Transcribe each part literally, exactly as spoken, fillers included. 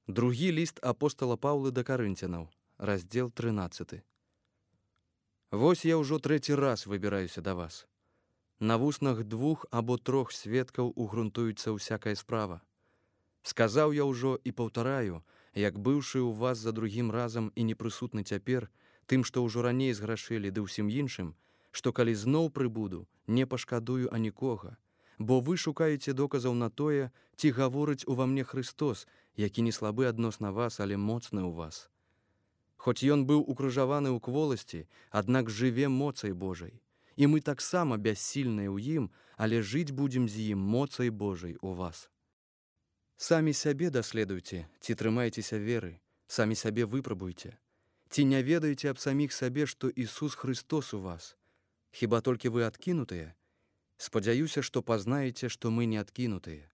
Другі ліст апостала Паўлы да карынцянаў, раздзел трынаццаты. Вось я ўжо трэці раз выбіраюся да вас. На вуснах двух або трох сведкаў угрунтуецца ўсякая справа. Сказаў я ўжо і паўтараю, як быўшы ў вас за другім разам і непрысутны цяпер, тым, што ўжо раней зграшылі ды ўсім іншым, што калі зноў прыбуду, не пашкадую анікога, бо вы шукаеце доказаў на тое, ці гаворыць ува мне Христос, які не слабы адносна вас, але моцны ў вас. Хоць ён быў укрыжаваны ў кволасці, аднак жыве моцай Божай. І мы таксама бяссільныя ў ім, але жыць будзем з ім моцай Божай у вас. Самі сябе даследуйце, ці трымаецеся веры, самі сябе выпрабуйце. Ці не ведаеце аб саміх сабе, што Ісус Христос у вас? Хіба толькі вы адкінутыя? Спадзяюся, што пазнаеце, што мы не адкінутыя.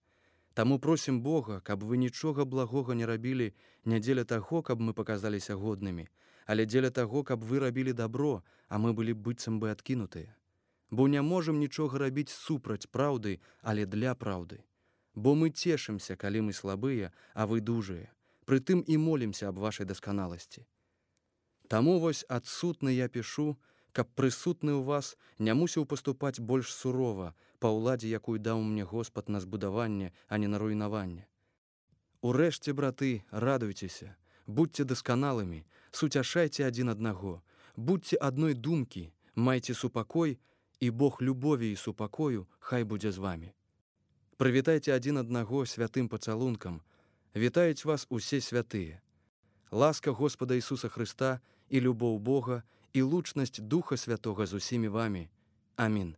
Таму просім Бога, каб вы нічога благога не рабілі не дзеля таго, каб мы паказаліся годнымі, але дзеля таго, каб вы рабілі дабро, а мы былі быццам бы адкінутыя. Бо не можам нічога рабіць супраць праўды, але для праўды. Бо мы цешымся, калі мы слабыя, а вы дужыя. Прытым і молімся аб вашай дасканаласці. Таму вось адсутны я пішу, каб прысутны ў вас не мусіў паступаць больш сурова па ўладзе, якую даў мне Господ на збудаванне, а не на руйнаванне. Урэшце, браты, радуйцеся, будьце дасканалымі, суцяшайце адзін аднаго, будьце адной думкі, майце супакой, і Бог любові і супакою хай будзе з вамі. Прывітайце адзін аднаго святым пацалункам, вітаюць вас усе святыя. Ласка Господа Ісуса Хрыста і любоў Бога і лучнасць Духа Святога з усімі вамі. Амін.